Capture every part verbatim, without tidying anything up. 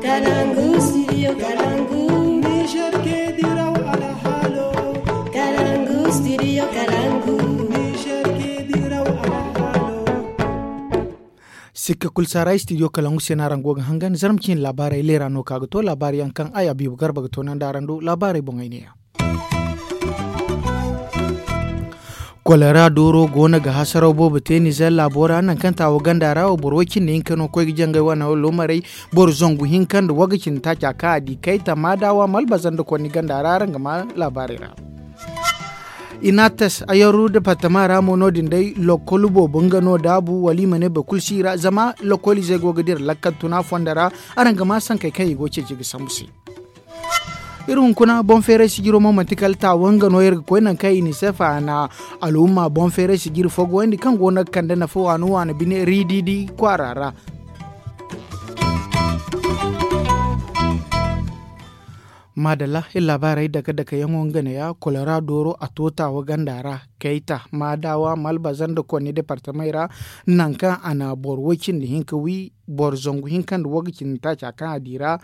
Kalangu studio kalangu. Niger ke diraw alhalo. Kalangu studio kalangu. Niger ke diraw alhalo. Sikka kulu saara studio kalangu se no araŋ go ga hangan zarma cine laabaarey leera no ka ga to laabaari yaŋ kaŋ ay abiibu garba ga toonandi araŋ do laabaarey boŋey ne ya. Kolera dooro go no ga hasaraw boobo te nizer laabo ra nangu kaŋ taawo ganda ra wo boro way cindi hinka no koy ga jangay wane wo loomarey. Boro zangu hinka nda waga cindi taaca kaŋ a di kayta maadawa malbaza nda konni ganda ra araŋ ga ma laabaarey ra. Inatas ayaru departama ra mo no- din day lokol boobo nga no daabu wala i ma ne boro kulu si ra zama lokol izey go ga dira lakkal tuna fondo ra. Araŋ ga ma sankey kaŋ i go ceeci ga sambu se. Iri hunkuna boŋ feeray sijiro mo manti kala taawo nga no iri ga koy nangu kaŋ i na sefa na alhumma boŋ feeray sijiri fo goyandi kaŋ go no ga kande nafa waani waani bine riididi kwaara ra. Maadalla iri laabaarey dake dake yaŋo nga ne ya kolera dooro a to taawo ganda ra kayta maadawa malbaza nda konni departamey ra. Nangu kaŋ a na boro way cindi hinka wi boro zangu hinka nda waga cindi taaca kaŋ a di ra.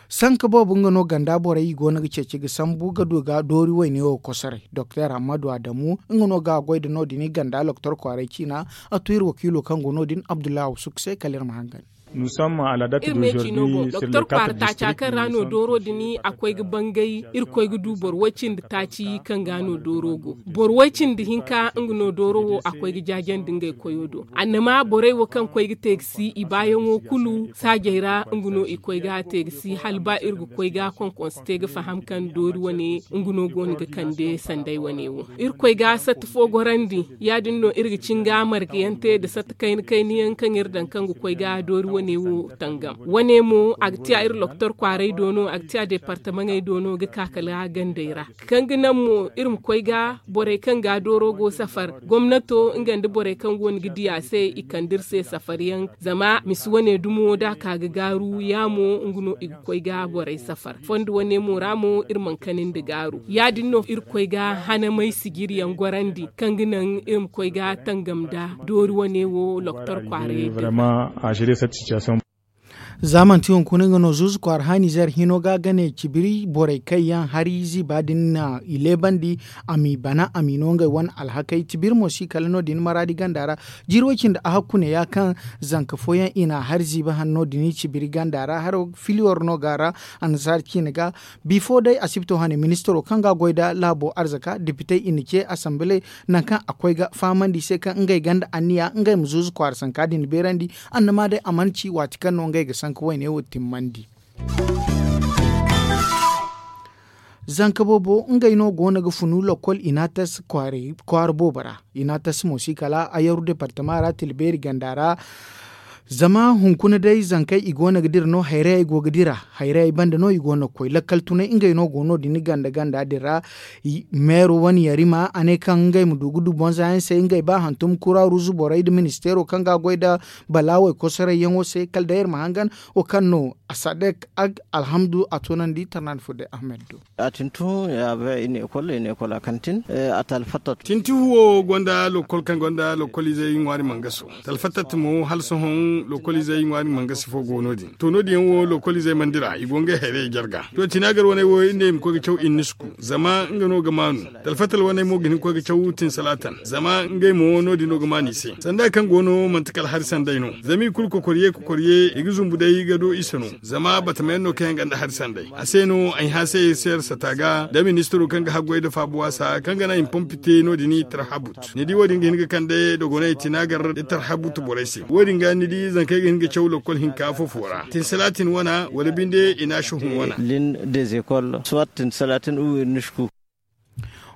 Sanka boobo nga no ganda borey i go no ga ceeci ga sambu ga du ga doori wayne wo kosoray doktor hammadu adamu nga no ga a goy nda no- din i ganda loktor kwaaray ciina. A to iri wakiilo kaŋ go no- din abdullahi awsuk se kala iri ma hangan. Iri me ciino go doktor kwaara taaca kaŋ ra no dooro din a koy ga bangay. Iri koy ga du boro way cindi taaci kaŋ ga no dooro go boro way cindi hinka nga no dooro wo a koy ga jaajandi ngey koyo do annama borey wo kaŋ koy ga te ga si i baayaŋo kulu saajey ra nga no i koy ga te ga si hala ba iri ga koy ga konkonse te ga faham kaŋ doori wane nga no go no ga kande sanday wane wo. Iri koy ga satta fo gorandi ya- din no iri ga cin ga marga yaŋ te nda satta kayna kayna yaŋ kaŋ iri daŋ kaŋ ga koy ga doori wane wo tangam wane mo a ga tiya iri loktor kwaaray do no a ga tiya departamaŋey do no ga ka kala gandey ra. Kaŋ ga naŋ mo iri ma koy ga borey kaŋ ga dooro go safar gomnato nga nda borey kaŋ go no ga diya se i kande iri se safar yaŋ zama misi wane dumo da a ka ga gaaru ya mo nga no i ga koy ga borey safar fondo wane mo ra mo iri mana kani nda gaaru ya- din no iri koy ga hanamay sijiri yaŋ gorandi kaŋ ga naŋ iri ma koy ga tangam nda doori wane wo loktor kwaaray. Za manti hunkuna nga no zuuzu kwaara haani zar hino ga gane cibiri borey kaŋ yaŋ hari ziiba din na i leebandi a m'i bana a m'i no ngey wane alhakey cibiri mo si kala no- din maraadi ganda ra. Jiiri way cindi a hakku ne ya kaŋ zanka fooyaŋ i na hari ziiba hanno din cibiri ganda ra haro filiyor no ga ra. Annasaara ciine ga bifo day asibito hane ministiro kaŋ ga goy nda laabo arzaka depitey i na ce asambile nangu kaŋ a koy ga fahamandi i se kaŋ ngey gonda anniya ngey ma zuuzu kwaara sanka din beerandi. Annama day a mana ci waati kaŋ no ngey ga sanka wayne wo timmandi. Zanka boobo ngey no go no ga funu lokol inatas kwaara boobo ra. Inatas mo si kala ayaru departama ra tilbeeri ganda ra. Zama hunkuna day zankey i go no ga dira no hayrayey go ga dira hayrayey banda no i go no ga koy lakkal tunay ngey no go no- din ganda ganda din ra. Meero wane yarima a ne kaŋ ngey ma du ga du bonza yaŋ se ngey ba hantum kura ruuzu borey nda ministeero kaŋ ga goy nda balaawey kosoray yaŋo se kala day iri ma hangan wo kaŋ no a sadek ag alhamdu a toonandi tarnandi fo day ahmed do. A tintu ya bay i ne ekol i ne ekol a kantin. A talfatat tinti huwo gonda lokol kaŋ gonda lokol izey ŋwaari mangaso talfatat mo hala sohõ lokol izey ŋwaari mangasi fo go no- din to no- din yaŋ wo lokol izey mana dira i go ngey hayrayey jarga. To tinagar wane wo iri ne i ma koy ga caw innisku zama nga no ga maanu. Talfatal wane mo ga hin ga koy ga caw tinsalatan zama ngey mo no- din no ga maanu i se sanda kaŋ go no manti kala hari sanday no. Zama i kulu kokoriye kokoriye i ga zumbu day ga do i se no. Zama batamayaŋ no kaŋ yaŋ gonda hari sanday a se no ay hã se iri se iri sata ga da ministiro kaŋ ga haggoy nda faabu waasa kaŋ ga naŋ i ma pompi te no- din i tarhabut ni di wo- din ga hin ga kande dogoney tinagar da tarhabut borey se wo- din ga ni di zankey ga hin ga caw lokol hinka fofo ra tinsalatin wana wala binde i na shohun wana. Lin des écoles soit tinsalatin uwir nishku.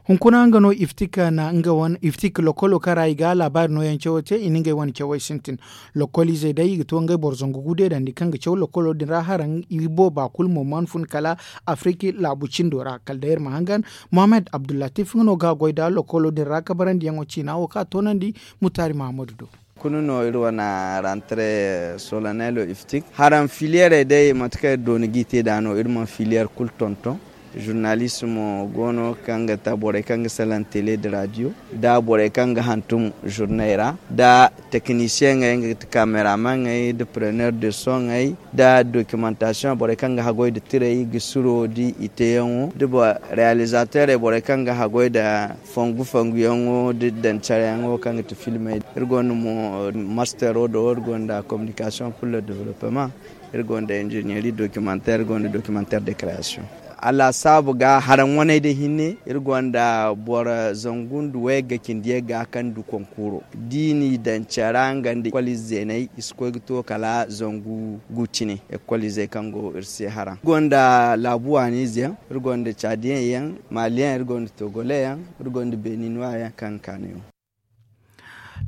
Hunkuna nga no iftik na nga wane iftik lokolo kaŋ ra i ga laabaari nooyaŋ cawo te i na ngey wane cawey sintin. Lokol izey day i ga to ngey boro zangu gude dandi kaŋ ga caw lokolo din ra haraŋ i booba kulu mo mana fun kala afiriki laabu cindo ra kala day iri ma hangan. Mohammed abdullatif nga no ga goy nda lokolo din ra kabarandiyaŋo ciina wo kaŋ a toonandi mutaari mahamadu do. Kulu no iri wane rantre solanelo iftik haraŋ filiyerey day mate kaŋ iri dooni g'i te nd'a no iri mana filiyer kulu tonton. Zurnalist mo go no kaŋ ga ta borey kaŋ ga salaŋ tele nda radio, nda borey kaŋ ga hantum zurney ra, nda teknisiyeŋey nga ga ti kameramaŋey nda preneur de soney, nda dokimantasiyoŋ borey kaŋ ga haggoy nda tirey ga suro nda i teeyaŋo, nda realizateerey borey kaŋ ga haggoy nda fongu fonguyaŋo nda daŋ careyaŋo kaŋ ga ti filmey. Iri gonda mo mastero do iri gonda kominikasiyoŋ pur le developement. Iri gonda injiniyeri dokimanteer iri gonda dokimanteer de kreasiyoŋ. Alaasaabu ga haraŋ waney day hinne iri gonda boro zangu nda wayga cindi yagga kaŋ du konkuro da i n'i daŋ care ra nga nda ekol ize zeeney i si koy ga to kala zangu gu cine. Ekol izey kaŋ go iri se haraŋ iri gonda laabu waani izeyaŋ, iri gonda caadiyaŋ yaŋ, maaliyaŋ iri gonda togole yaŋ, iri gonda beninuwa yaŋ kaŋ ga kaanu yaŋ.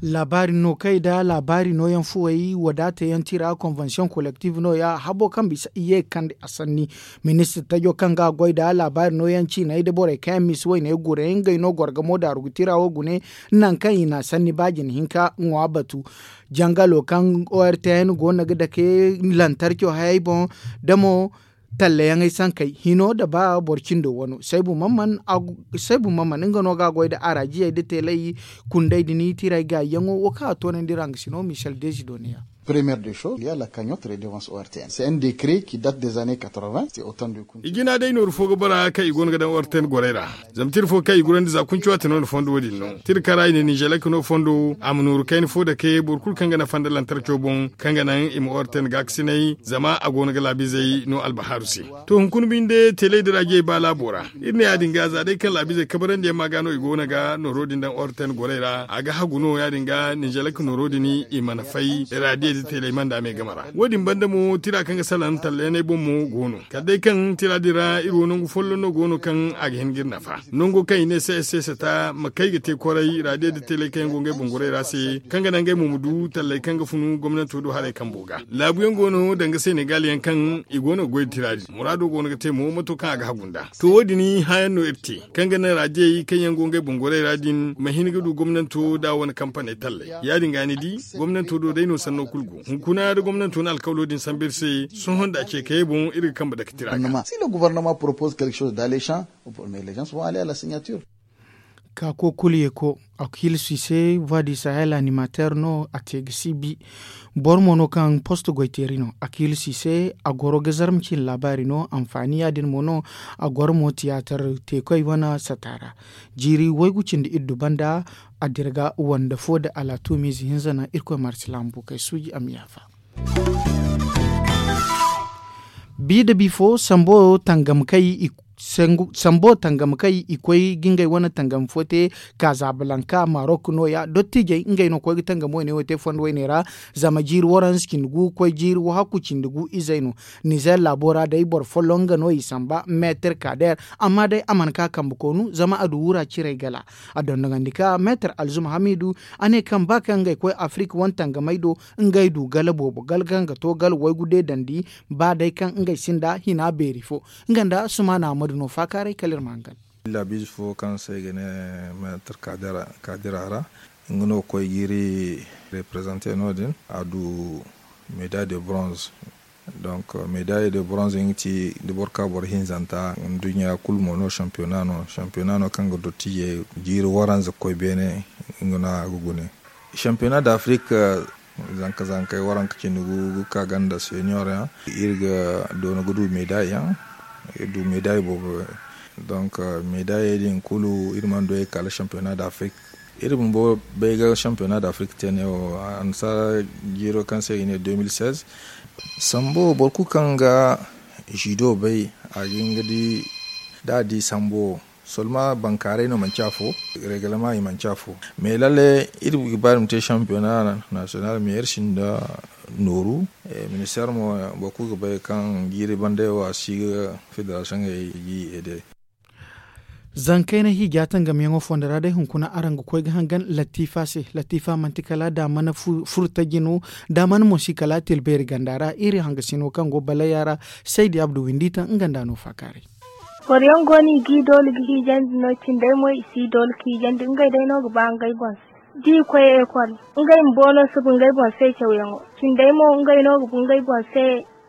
Laabaari no kay nda laabaari nooyaŋ fuwey wadaata yaŋ tira konvensiyoŋ kolektif nooya habo kaŋ bisa i ye ga kande a sanni. Ministir tajo kaŋ ga goy nda laabaari nooyaŋ ciiney nda borey kaŋ yaŋ misa wayne gure ngey no gorgamo daaru ga tira wo gune. Nangu kaŋ i na sanni ba jine hinka ŋwa batu jangalo kaŋ ortn goono ga dake lantarco hayey boŋ da mo tallayaŋey sankey hino nda ba boro cindo wano saybu mamman nga no ga a goy nda araajiyey nda teelay kundey din tiray gaayyaŋo wo kaŋ a toonandi ra nga sino michel desido ne ya. Première de chose il ya la cagnotte redevance ortn c'est un décret ki date des années quatre-vingts c'est autant de. I jina day nooru fo ga bara kaŋ i go no ga daŋ ortn gorey ra. Zama tira fo kaŋ i gurandi za kuncu waati no ni fondo wo- din no tira kaŋ ra i ne ninzelek no fondo a ma nooru kayna fo dake boro kulu kaŋ ga nafa nda lantarco boŋ kaŋ ga naŋ i ma ortn gaakasinay zama a go no ga laabizey no albahaaru se. To hunkuna binde teeley da raajiyey ba laabo ra. Iri ne ya- din ga za day kaŋ laabizey kabarandi yaŋ ma ga no i go no ga nooro din daŋ ortn gorey ra a ga hagu no ya- din ga ninzelek nooro din i mana fay raadiyey da teeley manda me game ra wo- din banda mo tira kaŋ ga salaŋ tallayaney boŋ mo go no kala day kaŋ tira din ra iri wo nangu folloŋ no go no kaŋ a ga hin ga iri nafa. Nango kaŋ i ne se se sata ma kay ga te kwaray raadiyo da teeley kaŋ yaŋ go ngey boŋ gorey ra se kaŋ ga naŋ ngey mo ma du talley kaŋ ga funu gomnanto do haray kambo ga laabu yaŋ go no danga senegal yaŋ kaŋ i go no ga goy da tira din muraado go no ga te mo mato kaŋ a ga hagu nd'a. To wo- din hããyaŋ no iri te kaŋ ga naŋ raadiyey kaŋ yaŋ go ngey boŋ gorey ra din ma hin ga du gomnanto da wane kampaney talley ya- din ga ni di gomnanto do day no sanno kulu go hunkuna da gomnanto na alkawlo din sambu iri se. Sohõ nda a ce kayey boŋ iri ga kambe dake tira ga. Si le gouvernement propose quelque chose dans les champs, mais les gens vont aller à la signature. Ka ko kulu ye ko a ga hiila si se voie du sahel animateur no a te ga si bi. Boro mo no kaŋ poste goyteeri no a ga hiila si se a goro ga zarma cine laabaari no anfaani ya- din mo no a goro mo tiyaatar teekoy wane sata ra. Jiiri waygu cindi iddu banda a dira ga wande fo nda alaatumiize hinza naŋ irkoy marsilaamu bukey suuji a ma yaafa. Bi nda bifo sambo tangam kay i sambo tangam kay i koy ga ngey wane tangam fo te. Kaazabalanka marok nooya dottijey ngey no koy ga tangam wayne wo te fondo wayne ra. Zama jiiri waranza cindi gu koy jiiri wahakku cindi gu izey no. Nizer laabo ra day boro folloŋ nga no i samba meetir kaader. Amma day a mana ka kambe koonu zama a du wura cirey gala. A dondogandi ka meetir alzuma hamidu a ne kaŋ ba kaŋ ngey koy afirik wane tangamey do ngey du gala boobo gala kaŋ ga to gala waygu deedandi. Ba day kaŋ ngey sinda hina beeri fo nga nda sumaana ahmadu no faakaaray kala iri ma hangan. Illa biize fo kaŋ se i ga ne meetir kaadira ra nga no ga koy ga iri reprezante no- din a du medaille de bronze. Donc medaille de bronze nga ti da boro ka boro hinzanta nduɲɲa kulu mo no championnat no championnat no kaŋ ga dottiijey jiiri waranza ga koy beene. Nga no a ga gune championnat d'afrique. Zanka zankey waranka cindi gu ga ka ganda senior yaŋ iri ga doona ga du medaille yaŋ. Iri du medaille boobo. Donc medaille din kulu iri mana du ey kala championnat d'afrique. Iri bumbo bay ga championnat d'afrique te ne wo annasaara jiiro kaŋ se i ne deux mille seize. Sambo wo boro kulu kaŋ ga judo bay a ga hin ga di da a di sambo wo. Solma bankaaray no manci afo. Reglement i manci afo. Mais lalle iri ga ba iri ma te championnat national mais iri sinda nooru. Ministère mo boro kulu ga bay kaŋ jiiri banda wo a si ga fédération ga i aide. Zankayna hiija tangamyaŋo fondo ra day hunkuna araŋ ga koy ga hangan latifa se. Latifa manti kala da mana furtaji no da mana mo si kala tilbeeri ganda ra iri hangasino kaŋ go balaya ra. Saydi abdu windi taŋ nga nda no faakaaray. Boro yaŋ go no i ga i doole ga hiijandi no cindey mo i si doole ga hiijandi ngey day no ga ba ngey boŋ se. Da i koy ekol ngey ma boono subu ngey boŋ se cawyaŋo. Cindey mo ngey no ga bu ngey boŋ se.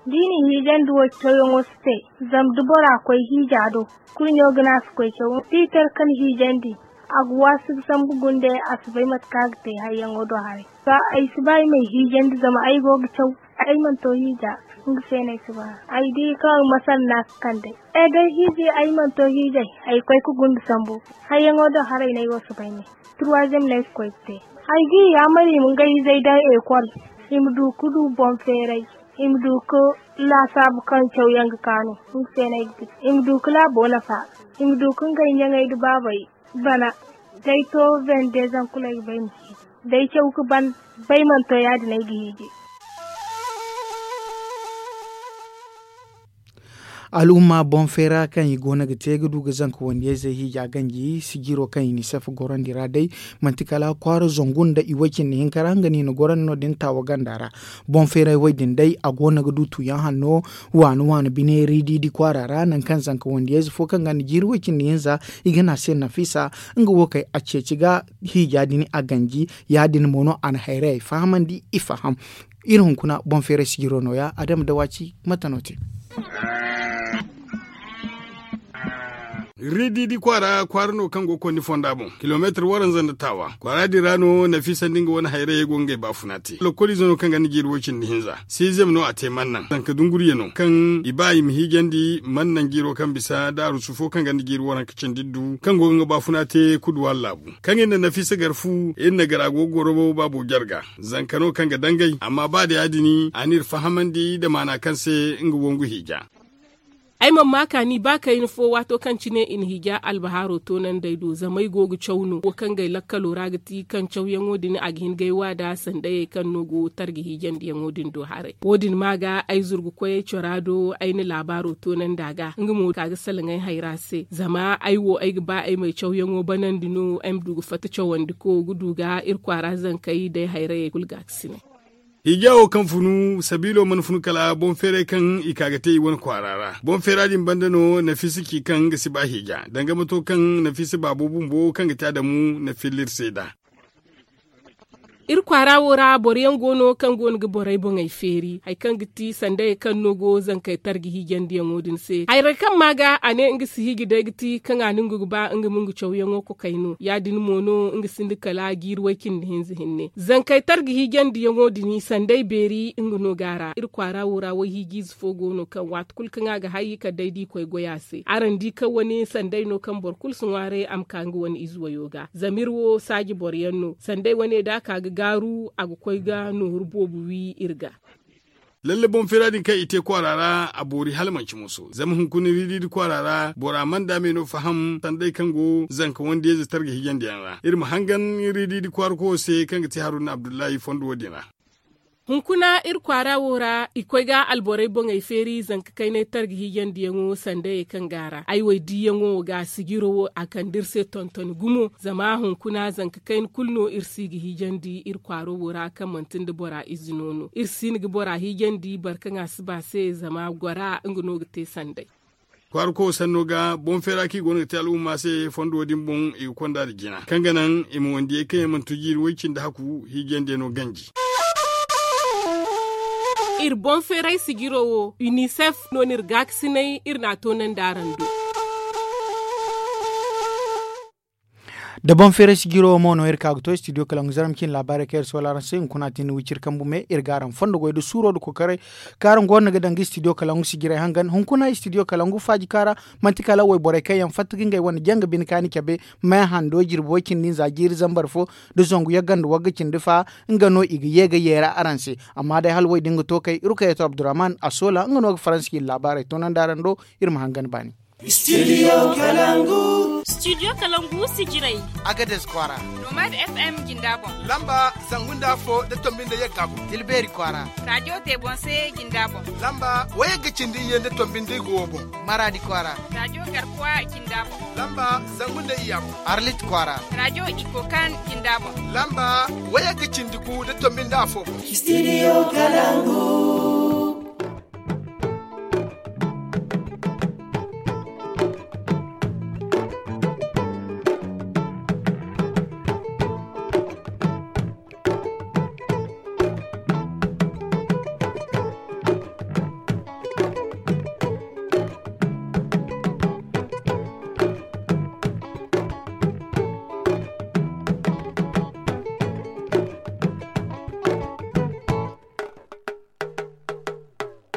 Da i na i hiijandi wo cawyaŋo si te. Zama da bora koy hiija do, kurɲo ga ne a si koy caw. Tiitar kaŋ hiijandi, a ga waasi ga sambu gunde, a si bay mate kaŋ a ga te hayyaŋo do haray. Ba ay si ba ay ma ay hiijandi zama ay go ga caw. Ay mana to hiija. Nga se no ay si ba. Ay di kaŋ masar no a ga kande. Ay day hiiji ay mana to hiijay. Ay koy ga gunde sambu. Hayyaŋo do haray no ay wo si bay ne. Turwazem no ay ga koy ga te. Ay ga i yaamar i ma ngey izey daŋ ekol. I ma du ga du boŋ feeray. I ma du ga laasaabu kaŋ cawyaŋ ga kaanu. Nga se no ay ga di i ma du ga laabo nafa. I ma du ga ngey ɲaŋey nda baabey bana. Day to bende zankuley ga bay ma ci. Day caw ga ban. Bay mana to ya- din ay ga hiiji. Al'umma boŋ feera kaŋ i go no ga te ga du ga zanka wandiyayzey hiija ganji sijiro kaŋ i na i safa gorandi ra day. Manti kala kwaara zangu nda i way cindi hinka ra nga no i na gorandi no- din taawa ganda ra. Boŋ feeray way din day a go no ga du tuuyaŋ hanno waani waani bine riididi kwaara ra nangu kaŋ zanka wandiyayze fo kaŋ ga nda jiiri way cindi hinza i ga ne a se nafisa. Nga wo kay a ceeci ga hiija din a ganji. Ya- din mo no a na hayrayey fahamandi i faham. Iri hunkuna boŋ feeray sijiro nooya adama da waaci mate no te. Riididi kwaara kwaara no kaŋ go ga kondi fonda boŋ kilomeetir waranza nda taawa kwaara din ra no nafiisa nda nga wane hayrayey go ga ngey baafuna te lokoliize no kaŋ ga ni jiiri way cindi hinza. Siizem no a te mannaŋ zanka dunguriye no kaŋ i ba i ma hiijandi mannaŋ jiiro kaŋ bisa daarusu fo kaŋ ga ni jiiri waranka cindi du kaŋ go ga nga baafuna te kuduwa laabu. Kaŋ iri na nafiisa gar fu iri na gar a go ga goro baabo jarga. Zanka no kaŋ ga dangay amma ba da ya- din a n'iri fahamandi nda maana kaŋ se nga wangu hiija. Ay mana ma kaani ba kayna fo waato kaŋ cine i na hiija albahaaro toonandey do zama ay go ga caw no wo kaŋ ga ay lakkalo ra ga ti kaŋ cawyaŋo din a ga hin ga ay wa nd'a sandayey kaŋ no go targa hiijandiyaŋo din do haray. Wo- din ma ga ay zurgukoyey cora do ay na laabaaro toonandi a ga nga mo ka ga salaŋ ay hayra se zama ay wo ay ga ba ay ma ay cawyaŋo banandi no ay ma du ga fatta cawandi ko ga du ga iri kwaara zankey day hayrayey kulu gaakasinay. Hiija wo kaŋ funu sabiilo mana funu kala boŋ feeray kaŋ i ka ga te i wane kwaara ra boŋ feera din banda no nafiisa ci kaŋ nga si ba hiija danga mato kaŋ nafiisa baabo bumbo kaŋ ga te adamu na filla iri se nd'a. Iri kwaara wo ra boro yaŋ go no kaŋ go no ga borey boŋey feeri hari kaŋ ga ti sandayey kaŋ no go zankey targa hiijandiyaŋo din se hayray kaŋ ma ga a ne nga si hiiji day ga ti kaŋ a na nga ga ba nga ma nga cawyaŋo kokay no ya- din mo no nga sinda kala jiiri way cindi hinza hinne zankey targa hiijandiyaŋo din sanday beeri nga no ga a ra iri kwaara wo ra wayhiijiize fo go no kaŋ waati kulu kaŋ a ga hay kala day da i koy goy a se araŋ di kaŋ wane sanday no kaŋ boro kulu si ŋwaaray a ma ka nga wane ize wayo ga zama iri wo saaji boro yaŋ no sanday wane da a ka ga gaaru a ga koy ga nooru boobo wi iri ga. Lalle boŋ feera din kaŋ i te kwaara ra a boori hala manci muso zama hunkuna riididi kwaara ra bora mana daamey no faham sanday kaŋ go zanka wandiyayze targa hiijandiyaŋ ra iri ma hangan riididi kwaara koyo se kaŋ ga ti haruna abdullahi fondo wo- din ra. Hunkuna iri kwaara wo ra i koy ga alborey boŋey feeri zanka kaynay targa hiijandiyaŋo sandayey kaŋ go a ra ay wo ay diiyaŋo ga sijiro wo a kande iri se tontoni gumo zama hunkuna zanka kayna kulu no iri si ga hiijandi iri kwaaro wo ra kaŋ manti nda bora ize no no iri si hin ga bora hiijandi boro kaŋ a si ba se zama gora nga no ga te sanday. Kwaara koyo sanno ga boŋ feera kaŋ i go no ga te al'umma se fondo din boŋ i ga konda nda jina kaŋ ga naŋ i ma wandiyey kaŋ yaŋ mana to jiiri way cindi haku hiijandiyaŋo ganji. Iri boŋ feeray sijiro wo unicef no no iri gaakasinay iri n'a toonandi araŋ do. Da boŋ feeray sijiro wo mo no iri ka ga to studio kalangu zarma cine laabaarey kaŋ iri soola araŋ se hunkuna a tin wiciri kambu me iri ga araŋ fondo goy nda suuro nda kokoray kaŋ araŋ go no ga daŋ ga studio kalangu sijirey hangan hunkuna studio kalangu faaji kaara. Manti kala wayborey kaŋ yaŋ fatta ga ngey wane janga bine kaani cabe me hando jirbi way cindi nza jiiri zambar fo nda zangu yagga nda wagga cindi fa nga no i ga ye ga yeera araŋ se. Amma day hala way din ga to kay iri kay yato abdurrahman a soola nga no ga faransi cine laabaarey toonandi araŋ do. Iri ma hangan baani. Studio kalangu. Studio kalangu sijirey. Agades kwaara. Nomad fm jinda boŋ. Lamba zangu nda afo nda tombi nda yagga boŋ. Tilbeeri kwaara. Radio tebonse jinda boŋ. Lamba wayagga cindi iyye nda tombi nda igo wo boŋ. Maraadi kwaara. Radio garkuwa jinda boŋ. Lamba zangu nda iyya boŋ. Arlit kwaara. Radio ikokan jinda boŋ. Lamba wayagga cindi gu nda tombi nda afo boŋ. Studio kalangu.